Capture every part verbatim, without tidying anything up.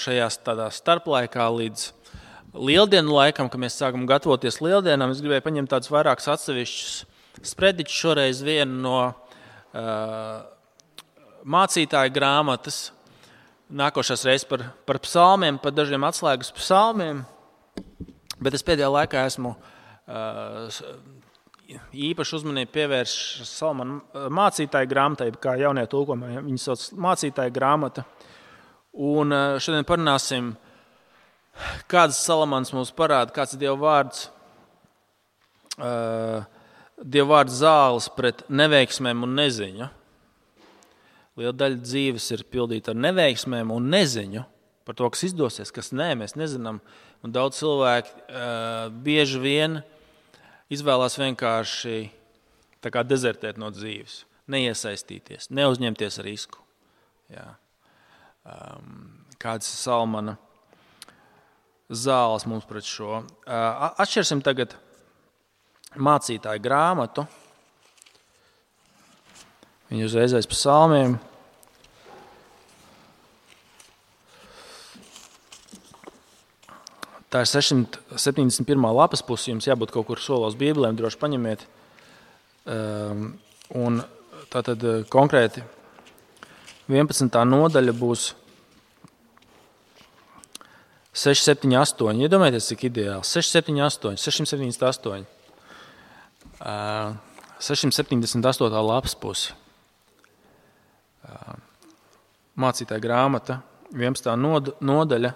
šajā tādā starplaikā līdz lieldienu laikam, kad mēs sākam gatavoties lieldienām, es gribēju paņemt tādus vairākus atsevišķus sprediķus, šoreiz vienu no uh, mācītāja grāmatas, nākošās reizes par, par psalmiem, par dažiem atslēgas psalmiem, bet es pēdējā laikā esmu uh, īpaši uzmanību pievērš Salamana mācītāja grāmatai, kā jaunie tulkojumi, viņi sauc mācītāja grāmata. Un uh, šodien parunāsim, kāds Salamans mums parāda, kāds ir Dieva vārds, uh, Dieva vārds zāles pret neveiksmēm un neziņu. Liela daļa dzīves ir pildīta ar neveiksmēm un neziņu par to, kas izdosies, kas nē, mēs nezinām. Un daudz cilvēki uh, bieži vien izvēlās vienkārši tā kā dezertēt no dzīves, neiesaistīties, neuzņemties risku. Jā. Um, kāds ir Salamana zāles mums pret šo. Atšķirsim tagad mācītāju grāmatu. Viņi uzreiz aiz psalmiem. Tā ir sešsimt septiņdesmit pirmā lapas puse, jums jābūt kaut kur solos bībelēm, droši paņemiet. Un tātad konkrēti vienpadsmitā nodaļa būs seši, septiņi, astoņi. Iedomājieties, cik ideāls. seši, septiņi, astoņi. sešsimt septiņdesmit astoņi. sešsimt septiņdesmit astotā lapas pusi. Mācītāja grāmata, vienpadsmitā nodaļa.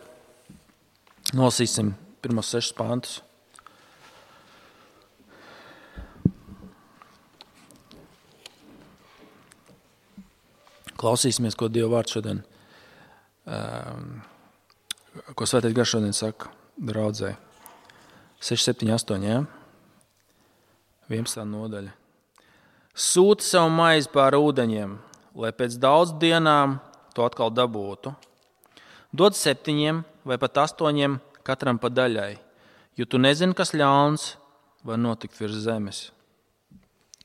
Nolasīsim pirmos sešus pantus. Klausīsimies, ko Dieva vārds šodien ko Svētais Gars šodien saka draudzē. seši, septiņi, astoņi, jā? vienpadsmitā nodaļa. Sūti savu maizi pār ūdeņiem, lai pēc daudz dienām to atkal dabūtu. Dod septiņiem vai pat astoņiem katram pa daļai, jo tu nezini, kas ļauns var notikt virs zemes.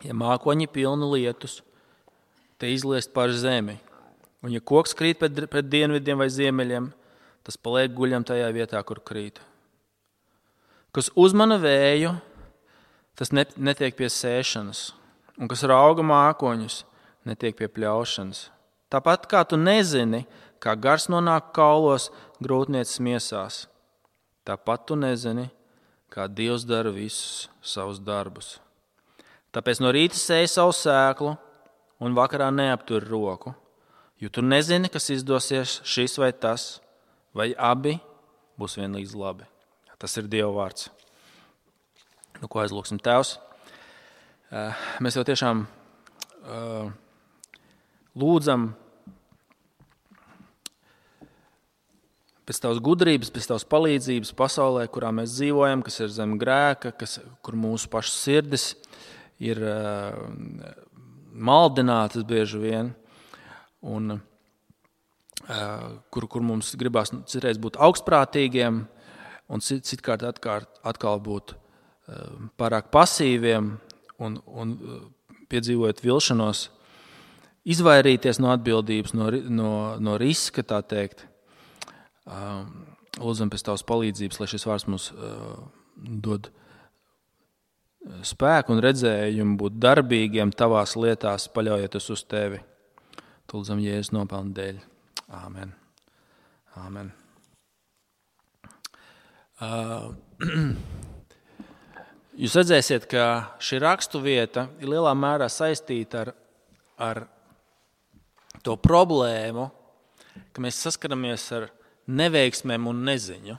Ja mākoņi pilni lietus, te izliest pār zemi, un ja koks krīt pret, pret dienvidiem vai ziemeļiem, tas paliek guļam tajā vietā, kur krīt. Kas uzmana vēju, tas netiek pie sēšanas, un kas rauga mākoņus, netiek pie pļaušanas. Tāpat kā tu nezini, kā gars nonāk kaulos grūtnieces miesās, tāpat tu nezini, kā Dievs dara visus savus darbus. Tāpēc no rīta sēj savu sēklu un vakarā neaptur roku, jo tu nezini, kas izdosies šis vai tas, vai abi būs vienlīdz labi. Tas ir Dieva vārds. Nu, ko aizlūksim, Tēvs? Mēs jau tiešām uh, lūdzam pēc Tavas gudrības, pēc Tavas palīdzības pasaulē, kurā mēs dzīvojam, kas ir zem grēka, kas, kur mūsu pašas sirdis ir uh, maldinātas bieži vien, un Kur, kur mums gribās citreiz būt augstprātīgiem un cit, citkārt atkārt, atkal būt pārāk pasīviem un, un piedzīvojot vilšanos, izvairīties no atbildības, no, no, no riska, tā teikt. Lūdzam pēc Tavas palīdzības, lai šis vārds mums dod spēku un redzējumu būt darbīgiem Tavās lietās, paļaujoties uz Tevi. Lūdzam Jēzus nopelna dēļ. Āmen. Āmen. Uh, jūs redzēsiet, ka šī rakstu vieta ir lielā mērā saistīta ar, ar to problēmu, ka mēs saskaramies ar neveiksmēm un neziņu.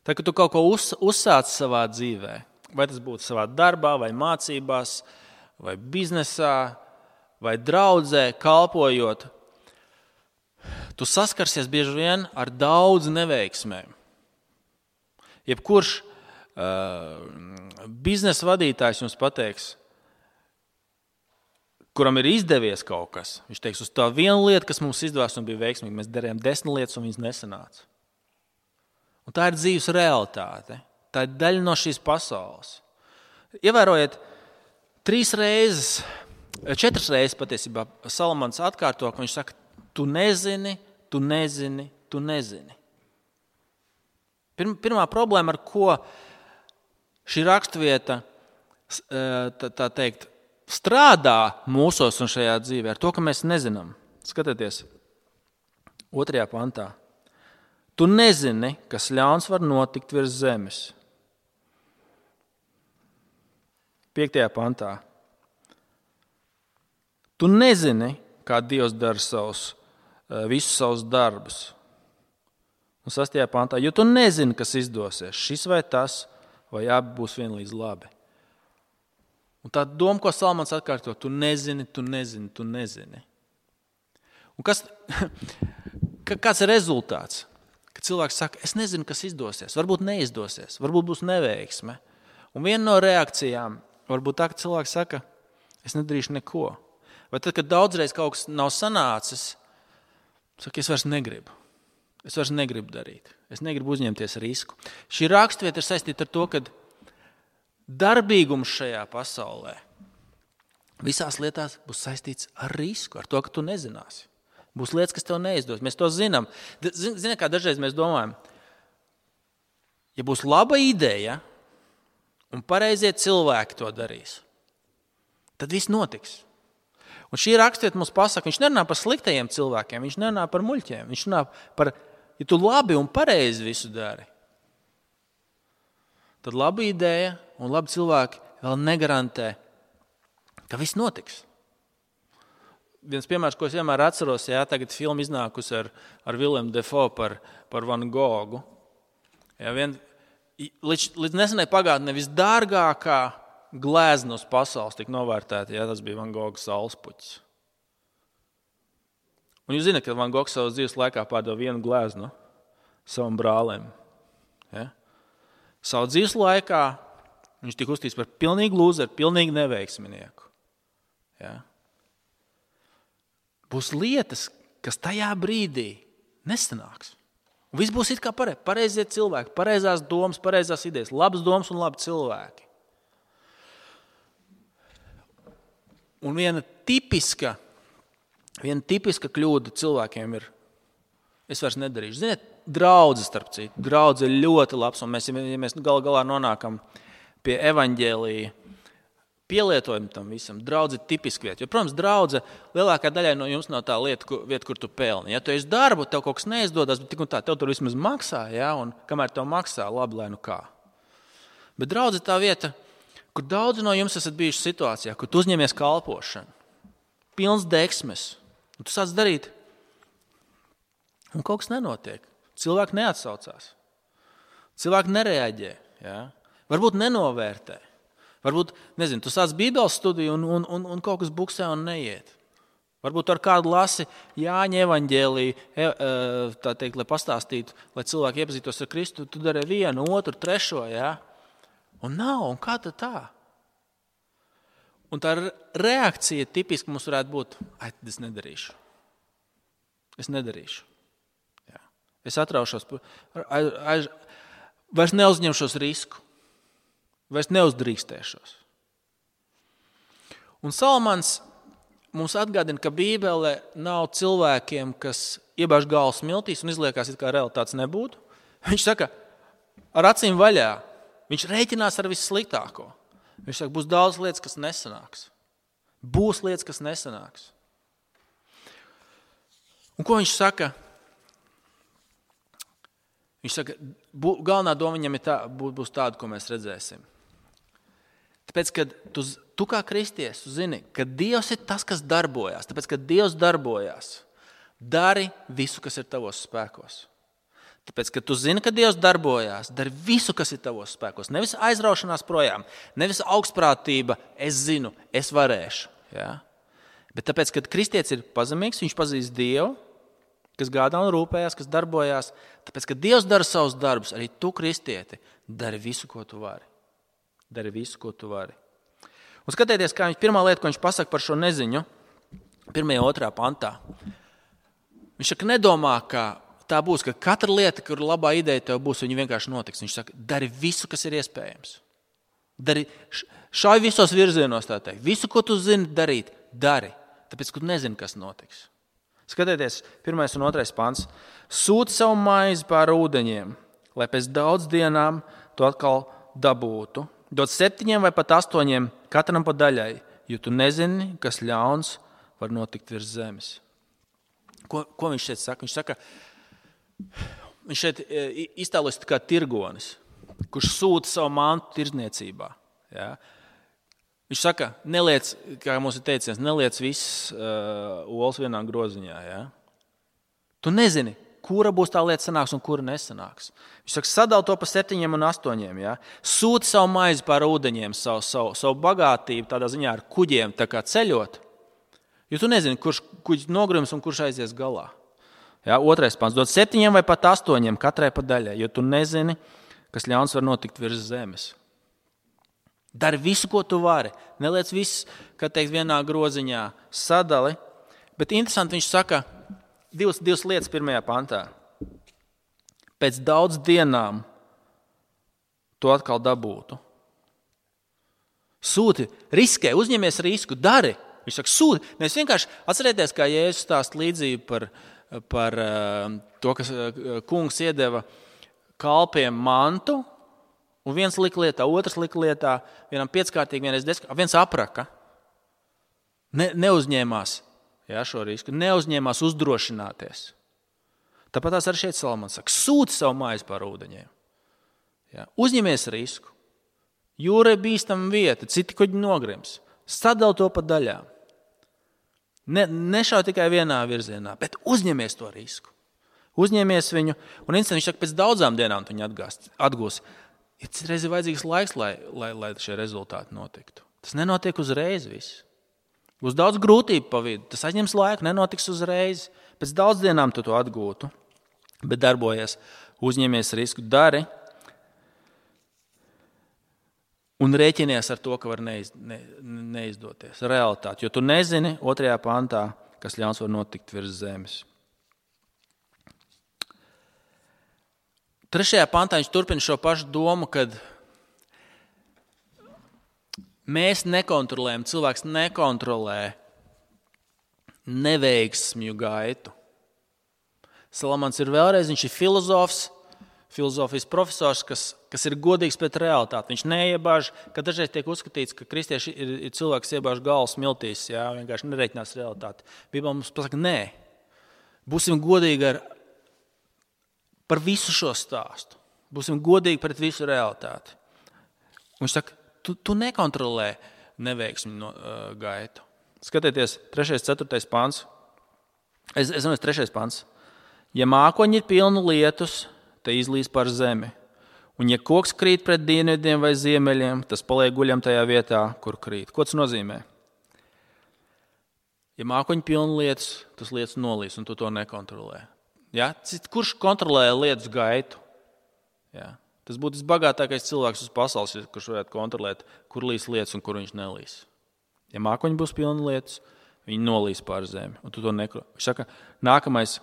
Tā, ka tu kaut ko uz, uzsāc savā dzīvē, vai tas būtu savā darbā, vai mācībās, vai biznesā, vai draudzē, kalpojot, tu saskarsies bieži vien ar daudz neveiksmēm. Jebkurš uh, biznesa vadītājs jums pateiks, kuram ir izdevies kaut kas, viņš teiks, uz tā vienu lietu, kas mums izdevās un bija veiksmīgi, mēs darījām desmit lietas un viņas nesanāca. Un tā ir dzīves realitāte. Tā ir daļa no šīs pasaules. Ievērojiet, trīs reizes, četras reizes patiesībā Salamans atkārto, ka viņš saka, tu nezini, tu nezini, tu nezini. Pirmā problēma, ar ko šī raksturvieta, tā, tā teikt, strādā mūsos un šajā dzīvē, ar to, ka mēs nezinām. Skatieties, otrajā pantā. Tu nezini, kas ļauns var notikt virs zemes. Piektajā pantā. Tu nezini, kā Dievs dara savus, visus savus darbus. Un sastajā pantā, jo tu nezini, kas izdosies, šis vai tas, vai abi būs vienlīdz labi. Un tā doma, ko Salmans atkārto, tu nezini, tu nezini, tu nezini. Un kas, kāds ir rezultāts? Kad cilvēks saka, es nezinu, kas izdosies, varbūt neizdosies, varbūt būs neveiksme. Un viena no reakcijām varbūt tā, ka cilvēks saka, es nedarīšu neko. Vai tad, kad daudzreiz kaut kas nav sanācis, saka, es vairs negribu. Es vairs negribu darīt. Es negribu uzņemties risku. Šī raksturvieta ir saistīta ar to, ka darbīgums šajā pasaulē visās lietās būs saistīts ar risku, ar to, ka tu nezināsi. Būs lietas, kas tev neizdos. Mēs to zinām. Ziniet, kā dažreiz mēs domājam, ja būs laba ideja un pareizie cilvēki to darīs, tad viss notiks. Un šī raksturvieta mums pasaka, viņš nerunā par sliktajiem cilvēkiem, viņš nerunā par muļķiem, viņš runā par, ja tu labi un pareizi visu dari, tad laba ideja un labi cilvēki vēl negarantē, ka viss notiks. Viens piemērs, ko es vienmēr atceros, jā, tagad filma iznākusi ar, ar Willemu Dafoe par, par Van Gogu. Jā, vien, līdz, līdz nesenai pagātnē visdārgākā glezna uz pasaules tika novērtēta, jā, tas bija Van Goga saulespuķis. Un jūs zināt, ka Van Gogs savas dzīves laikā pārdeva vienu gleznu savam brālim. Ja? Savu dzīves laikā viņš tika uzskatīts par pilnīgu lūzeru, pilnīgu neveiksminieku. Ja? Būs lietas, kas tajā brīdī nesanāks. Un viss būs it kā pareizi. Pareizie cilvēki, pareizās domas, pareizās idejas, labas domas un labi cilvēki. Un viena tipiska, viena tipiska kļūda cilvēkiem ir, es vairs nedarīšu. Ziniet, draudze starp citu. Draudze ir ļoti labs, un mēs, ja mēs gal galā nonākam pie evaņģēlija pielietojuma tam visam, draudze ir tipiska vieta. Jo, protams, draudze lielākā daļai no jums nav tā lieta, kur, vieta, kur tu pelni. Ja tu esi darbu, tev kaut kas neizdodas, bet tik un tā, tev tur vismaz maksā, ja, un kamēr tev maksā, labi, lai nu kā. Bet draudze ir tā vieta, kur daudzi no jums esat bijuši situācijā, kur tu uzņemies kalpošanu, pilns deksmes, un tu sāc darīt, un kaut kas nenotiek. Cilvēki neatsaucās. Cilvēki nereaģē. Ja? Varbūt nenovērtē. Varbūt, nezinu, tu sāc bībeles studiju un, un, un, un kaut kas buksē un neiet. Varbūt ar kādu lasi Jāņa evaņģēliju, tā teikt, lai pastāstītu, lai cilvēki iepazītos ar Kristu, tu dari vienu, otru, trešo, ja? Un nav, un kā tad tā? Un tā reakcija tipiski mums varētu būt, ai, tad es nedarīšu. Es nedarīšu. Jā. Es atraušos, aiz, aiz, vairs neuzņemšos risku. Vairs neuzdrīkstēšos. Un Salmans mums atgādina, ka Bībele nav cilvēkiem, kas iebāž galvu smiltīs un izliekās, it kā realitātes nebūtu. Viņš saka, ar acīm vaļā. Viņš rēķinās ar vissliktāko. Viņš saka, būs daudz lietas, kas nesanāks. Būs lietas, kas nesanāks. Un ko viņš saka? Viņš saka, bū, galvenā doma viņam ir tā, būs tāda, ko mēs redzēsim. Tāpēc, kad tu, tu kā kristietis zini, ka Dievs ir tas, kas darbojās, tāpēc, ka Dievs darbojās, dari visu, kas ir tavos spēkos. Tāpēc, ka tu zini, ka Dievs darbojās, dari visu, kas ir tavos spēkos. Nevis aizraušanās projām, nevis augstprātība, es zinu, es varēšu. Ja? Bet tāpēc, kad kristietis ir pazemīgs, viņš pazīst Dievu, kas gādā un rūpējās, kas darbojās. Tāpēc, ka Dievs dara savus darbus, arī tu, kristieti, dari visu, ko tu vari. Dari visu, ko tu vari. Un skatieties, kā viņš pirmā lieta, ko viņš pasaka par šo neziņu, pirmajā otrā pantā. Viņš saka, nedomā, ka tā būs, ka katra lieta, kur labā ideja tev būs, viņa vienkārši notiks. Viņš saka, dari visu, kas ir iespējams. Dari, šauj visos virzienos, tā teikt. Visu, ko tu zini darīt, dari. Tāpēc, ka tu nezini, kas notiks. Skatieties, pirmais un otrais pants. Sūti savu maizi pār ūdeņiem, lai pēc daudz dienām to atkal dabūtu. Dod septiņiem vai pat astoņiem katram pa daļai, jo tu nezini, kas ļauns var notikt virs zemes. Ko, ko viņš šeit saka? Viņš saka, viņš šeit iztēlojas kā tirgonis, kurš sūta savu mantu tirdzniecībā. Ja? Viņš saka, neliec, kā mums ir teiciens, neliec visas uh, olas vienā groziņā. Ja? Tu nezini, kura būs tā lieta sanāks un kura nesanāks. Viņš saka, sadal to pa septiņiem un astoņiem. Ja? Sūti savu maizi pār ūdeņiem, savu, savu, savu bagātību tādā ziņā ar kuģiem tā kā ceļot. Jo tu nezini, kurš kuģis nogrims un kurš aizies galā. Ja? Otrais pants. Dod septiņiem vai pat astoņiem katrai pa daļai, jo tu nezini, kas ļauns var notikt virs zemes. Dari visu, ko tu vari. Neliec viss, kā teikt, vienā groziņā sadali. Bet interesanti viņš saka divas, divas lietas pirmajā pantā. Pēc daudz dienām to atkal dabūtu. Sūti, riskē, uzņemies risku, dari. Viņš saka, sūti. Nevis vienkārši atcerieties, kā Jēzus stāst līdzību par, par to, kas kungs iedeva kalpiem mantu. Un viens lika lietā, otrs lika lietā, vienam pieckārtīgi, vienreiz desmitkārtīgi, viens apraka. Ne, neuzņēmās jā, šo risku, neuzņēmās uzdrošināties. Tāpat tās arī šeit Salamans saka, sūti savu maizi pār ūdeņiem. Jā, uzņemies risku. Jūra ir bīstama vieta, citi kuģi nogrims. Sadal to pa daļām. Ne, nešauj tikai vienā virzienā, bet uzņemies to risku. Uzņemies viņu, un viņš saka, pēc daudzām dienām viņu atgūs. Ir citreiz vajadzīgs laiks, lai, lai, lai šie rezultāti notiktu. Tas nenotiek uzreiz viss. Būs daudz grūtību pa vidu. Tas aizņems laiku, nenotiks uzreiz. Pēc daudz dienām tu to atgūtu. Bet darbojies, uzņemies risku, dari un rēķinies ar to, ka var neiz, ne, neizdoties. Realitāte. Jo tu nezini otrajā pantā, kas ļauns var notikt virs zemes. Trešajā pantā viņš turpina šo pašu domu, kad mēs nekontrolējam, cilvēks nekontrolē neveiksmju gaitu. Salamans ir vēlreiz, viņš ir filozofs, filozofijas profesors, kas, kas ir godīgs pret realitāti. Viņš neiebāž, ka dažreiz tiek uzskatīts, ka kristieši ir, ir cilvēks iebāž galvas miltīs, jā, vienkārši nereiķinās realitāti. Bībele mums pasaka, nē, būsim godīgi ar par visu šo stāstu. Būsim godīgi pret visu realitāti. Un viņš saka, tu, tu nekontrolē neveiksmi no, uh, gaitu. Skatieties, trešais, ceturtais pants. Es, es domāju, trešais pants. Ja mākoņi ir pilni lietus, te izlīs par zemi. Un ja koks krīt pret dienvidiem vai ziemeļiem, tas paliek guļam tajā vietā, kur krīt. Ko tas nozīmē? Ja mākoņi pilni lietus, tas lietus nolīs, un tu to nekontrolē. Ja? Kurš kontrolē lietus gaitu? Ja? Tas būtu visbagātākais cilvēks uz pasaules, kurš varētu kontrolēt, kur līs lietus un kur viņš nelīs. Ja mākoņi būs pilni lietus, viņi nolīs pār zemi. Un tu to neko. Viņš saka, nākamais,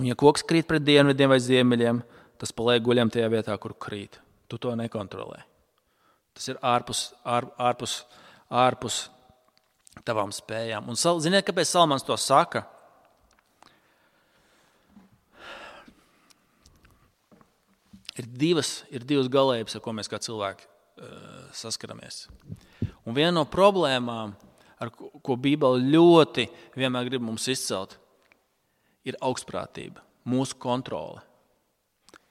un ja koks krīt pret dienvidiem vai ziemeļiem, tas paliek guļam tajā vietā, kur krīt. Tu to nekontrolē. Tas ir ārpus, ār, ārpus, ārpus tavām spējām. Un ziniet, kāpēc Salamans to saka? Ir divas, ir divas galējības, ar ko mēs kā cilvēki uh, saskaramies. Un viena no problēmām, ar ko, ko Bībele ļoti vienmēr grib mums izcelt, ir augstprātība, mūsu kontrole.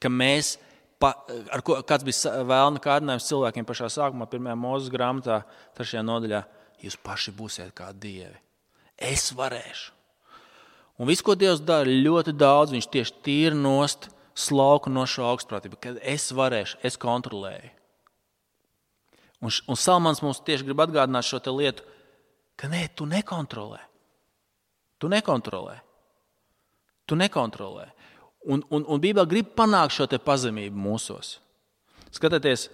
Ka mēs, pa, ar ko, kāds bija vēlna kārdinājums cilvēkiem pašā sākumā, pirmajā Mūzes grāmatā, trešajā nodaļā, jūs paši būsiet kā dievi. Es varēšu. Un viss, ko Dievs dara, ļoti daudz, viņš tieši tīri nost slauku no šo augstprātību, kad es varēšu, es kontrolēju. Un, un Salamans mums tieši grib atgādināt šo te lietu, ka nē, tu nekontrolē. Tu nekontrolē. Tu nekontrolē. Un, un, un Bībele grib panākt šo te pazemību mūsos. Skatieties,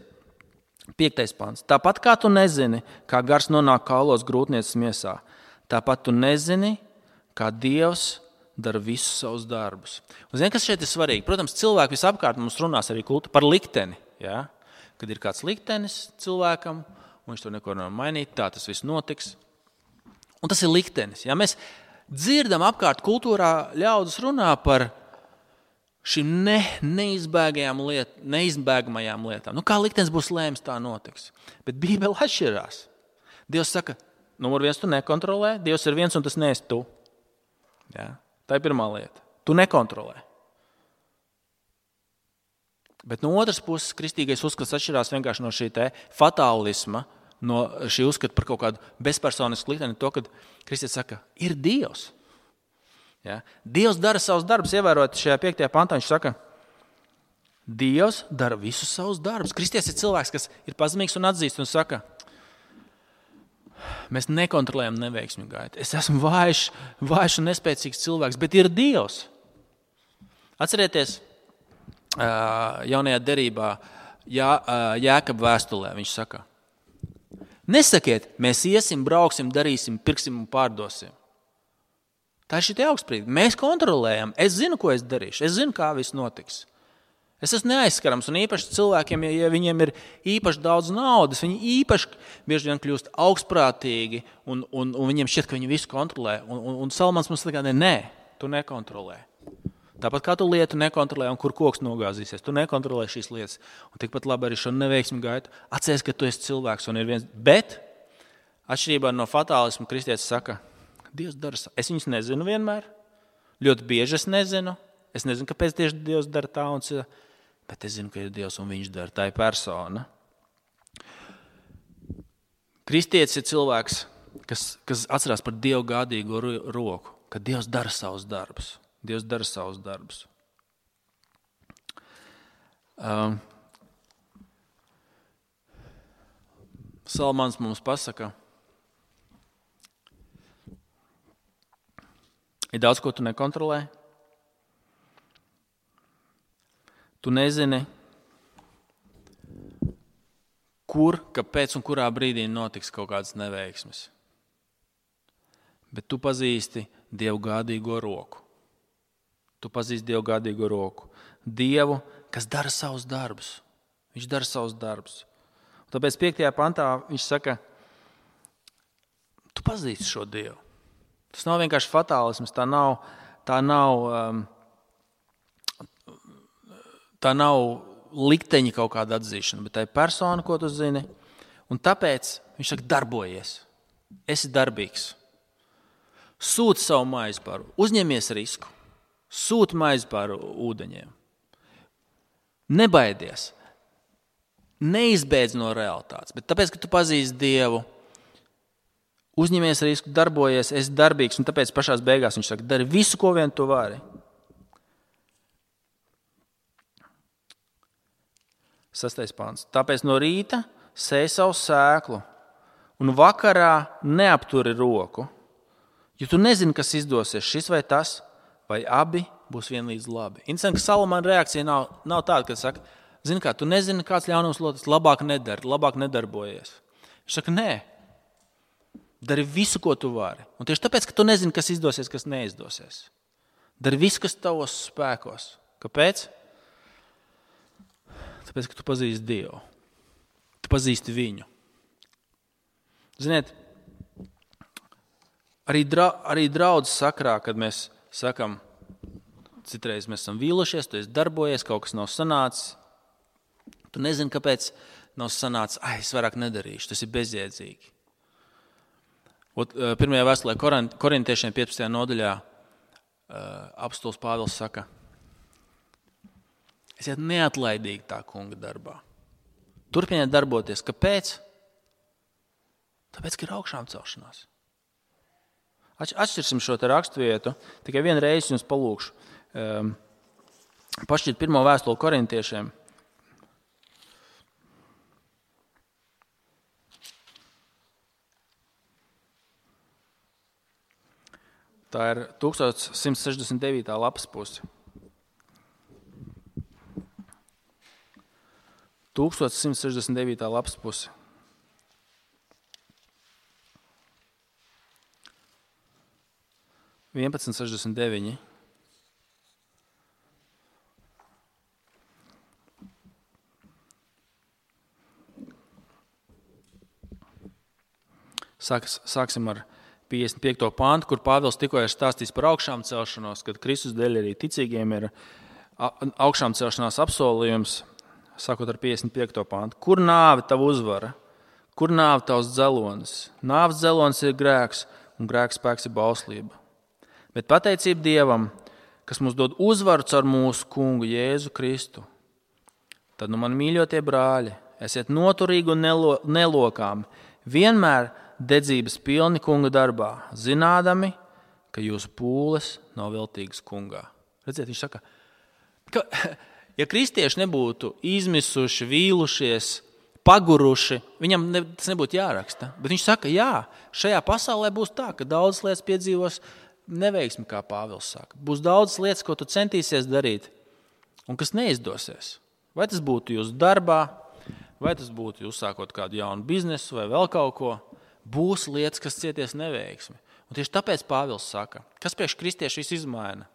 piektais pants. Tāpat kā tu nezini, kā gars nonāk kaulos grūtnieces miesā, tāpat tu nezini, kā Dievs dara visus savus darbus. Un zini, kas šeit ir svarīgi? Protams, cilvēki visapkārt mums runās arī kultu par likteni. Ja? Kad ir kāds liktenis cilvēkam, un viņš to neko nevar mainīt, tā tas viss notiks. Un tas ir liktenis. Ja? Mēs, dzirdam apkārt kultūrā ļaudis runā par šīm ne, neizbēgajām liet, neizbēgamajām lietām. Nu, kā liktenis būs lēms, tā notiks. Bet Bībele atšķirās. Dievs saka, numur viens, tu nekontrolē, Dievs ir viens un tas neesi tu. Jā, tā ir pirmā lieta. Tu nekontrolē. Bet no otras puses, kristīgais uzskats atšķirās vienkārši no šī te fatālisma, no šī uzskata par kaut kādu bezpersonisku likteni, to, kad kristietis saka, ir Dievs. Ja? Dievs dara savus darbus, ievērot šajā piektajā pantā, viņš saka, Dievs dara visus savus darbus. Kristietis ir cilvēks, kas ir pazemīgs un atzīst un saka, mēs nekontrolējam neveiksmi gaitu. Es esmu vājš, vājš un nespēcīgs cilvēks, bet ir Dievs. Atcerieties, jaunajā derībā Jā, Jēkaba vēstulē viņš saka, nesakiet, mēs iesim, brauksim, darīsim, pirksim un pārdosim. Tā ir šī augstprība. Mēs kontrolējam. Es zinu, ko es darīšu. Es zinu, kā viss notiks. Es esmu neaizskarams un īpaši cilvēkiem, ja viņiem ir īpaši daudz naudas, viņi īpaši bieži vien kļūst augstprātīgi un, un, un viņiem šķiet, ka viņi visu kontrolē. Un, un, un Salmans mums saka, nē, tu nekontrolē. Tāpat kā tu lietu nekontrolē un kur koks nogāzīsies, tu nekontrolē šīs lietas. Un tikpat labi arī šo neveiksmi gaitu. Atceries, ka tu esi cilvēks un ir viens. Bet, atšķirībā no fatālismu, kristietis saka, Dievs dara. Es viņus nezinu vienmēr. Ļoti bieži es nezinu. Es nezinu, kāpēc tieši Dievs dara tā un cita. Bet es zinu, ka ir Dievs un viņš dara. Tā ir persona. Kristietis ir cilvēks, kas, kas atcerās par Dievu gādīgo roku, ka Dievs dara savus darbus. Dievs dara savus darbus. Um, Salmans mums pasaka, ir daudz, ko tu nekontrolē. Tu nezini, kur, kāpēc un kurā brīdī notiks kaut kādas neveiksmes. Bet tu pazīsti Dievu gādīgo roku. Tu pazīsti Dievu gādīgo roku. Dievu, kas dara savus darbus. Viņš dara savus darbus. Un tāpēc piektajā pantā viņš saka, tu pazīsti šo Dievu. Tas nav vienkārši fatālisms, tā nav, tā nav, um, tā nav likteņa kaut kāda atzīšana, bet tā ir persona, ko tu zini. Un tāpēc viņš saka, darbojies. Esi darbīgs. Sūti savu maizi pāri, uzņemies risku. Sūti maizi pāri ūdeņiem. Nebaidies. Neizbēdz no realitātes. Bet tāpēc, ka tu pazīsti Dievu, uzņemies risku, darbojies, esi darbīgs. Un tāpēc pašās beigās viņš saka, dari visu, ko vien tu vari. Sastais pants. Tāpēc no rīta sēj savu sēklu un vakarā neapturi roku. Jo tu nezini, kas izdosies, šis vai tas, vai abi būs vienlīdz labi. Interesanti, ka Salamana reakcija nav, nav tāda, ka saka, zini kā, tu nezini, kāds ļaunums lotas, labāk nedari, labāk nedarbojies. Viņš saka, nē, dari visu, ko tu vari. Un tieši tāpēc, ka tu nezini, kas izdosies, kas neizdosies. Dari visu, kas tavos spēkos. Kāpēc? Tāpēc, ka tu pazīsti Dievu. Tu pazīsti viņu. Ziniet, arī, dra, arī draudzes sakrā, kad mēs sakam, citreiz mēs esam vīlušies, tu esi darbojies, kaut kas nav sanācis. Tu nezini, kāpēc nav sanācis, ai, es vairāk nedarīšu, tas ir bezjēdzīgi. Ot, pirmajā vēstulē korintiešiem piecpadsmitajā nodaļā apostols Pāvils saka, esiet neatlaidīgi tā kunga darbā. Turpiniet darboties. Kāpēc? Tāpēc, ka ir augšām celšanās. Atšķirsim šo te raksturvietu, tikai vienu reizi jums palūkšu. Um, pašķiet pirmo vēstuli korintiešiem. Tā ir tūkstoš simts sešdesmit devītā lapas puse. tūkstoš simts sešdesmit devītā lapas puse. vienpadsmit sešdesmit deviņi. Sāks, sāksim ar piecdesmit piekto pantu, kur Pāvils tikko ir stāstījis par augšām celšanos, kad Kristus dēļ arī ticīgiem ir augšām celšanās apsolījums, sākot ar piecdesmit piekto pantu. Kur nāve tava uzvara? Kur nāve tavs dzelonis? Nāves dzelonis ir grēks, un grēks spēks ir bauslība. Bet pateicība Dievam, kas mums dod uzvaru caur mūsu kungu Jēzu Kristu. Tad, nu, man mīļotie brāļi, esiet noturīgi un nelo, nelokāmi, vienmēr dedzības pilni kunga darbā, zinādami, ka jūsu pūles nav veltīgas kungā. Redziet, viņš saka, ka, ja kristieši nebūtu izmisuši, vīlušies, paguruši, viņam ne, tas nebūtu jāraksta. Bet viņš saka, jā, šajā pasaulē būs tā, ka daudzas lietas piedzīvos neveiksmi, kā Pāvils saka. Būs daudzas lietas, ko tu centīsies darīt, un kas neizdosies. Vai tas būtu jūsu darbā, vai tas būtu jūs sākot kādu jaunu biznesu vai vēl kaut ko, būs lietas, kas cieties neveiksmi. Un tieši tāpēc Pāvils saka, kas priekš kristieši viss izmaina?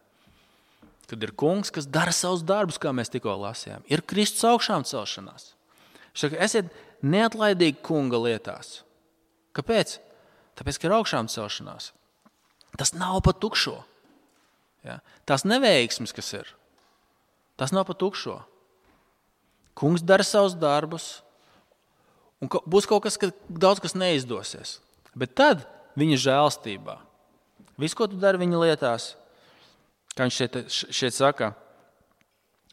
Kad ir kungs, kas dara savus darbus, kā mēs tikko lasījām. Ir Kristus augšām celšanās. Viņš saka, esiet neatlaidīgi kunga lietās. Kāpēc? Tāpēc, ka ir augšām celšanās. Tas nav pa tukšo. Ja? Tās neveiksmes, kas ir, tas nav pa tukšo. Kungs dara savus darbus, un būs kaut kas, ka daudz kas neizdosies. Bet tad viņa žēlstībā, viss, ko tu dari viņa lietās, kā viņš šeit, šeit saka,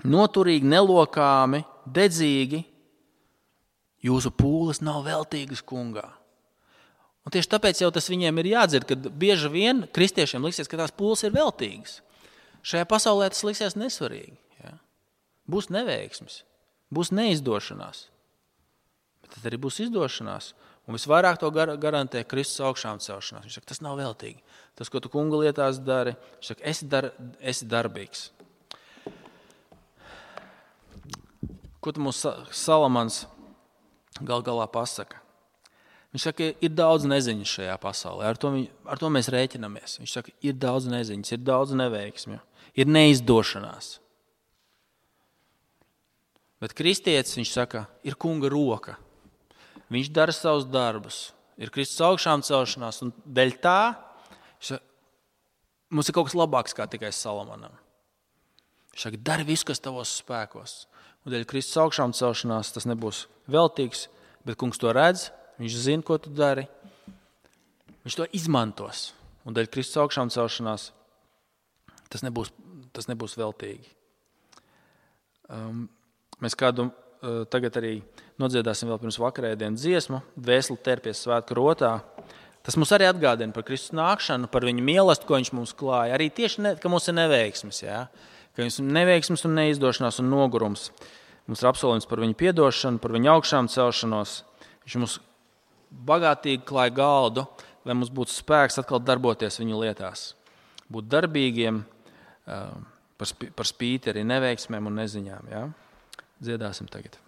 noturīgi, nelokāmi, dedzīgi, jūsu pūles nav veltīgas kungā. Un tieši tāpēc jau tas viņiem ir jādzird, ka bieži vien kristiešiem liksies, ka tās pūles ir veltīgas. Šajā pasaulē tas liksies nesvarīgi. Ja? Būs neveiksmes, būs neizdošanās. Bet tad arī būs izdošanās. Un visvairāk to gar- garantē Kristus augšām celšanās. Viņš saka, tas nav veltīgi. Tas, ko tu kunga lietās dari, viņš saka, esi, dar, esi darbīgs. Ko tu mums Salamans gal galā pasaka? Viņš saka, ir daudz neziņas šajā pasaulē. Ar to, ar to mēs rēķinamies. Viņš saka, ir daudz neziņas, ir daudz neveiksmju, ir neizdošanās. Bet kristietis, viņš saka, ir kunga roka. Viņš dara savus darbus. Ir Kristus augšām celšanās, un dēļ tā saka, mums ir kaut kas labāks kā tikai Salamanam. Viņš saka, dari visu, kas tavos spēkos. Un dēļ Kristus augšām celšanās tas nebūs veltīgs, bet kungs to redz, viņš zina, ko tu dari. Viņš to izmantos. Un dēļ Kristus augšām celšanās tas nebūs, tas nebūs veltīgi. Um, mēs kādu uh, tagad arī nodziedāsim vēl pirms vakarēdienas dziesmu, Dvēseli terpies svētku rotā. Tas mums arī atgādina par Kristus nākšanu, par viņu mīlestību, ko viņš mums klāja. Arī tieši, ne, ka mums ir neveiksmes, jā? Ka mums ir neveiksmes un neizdošanās un nogurums. Mums ir apsolījums par viņu piedošanu, par viņu augšām celšanos. Viņš mums bagātīgi klāja galdu, lai mums būtu spēks atkal darboties viņu lietās. Būt darbīgiem, par spīti arī neveiksmēm un neziņām. Jā? Dziedāsim tagad.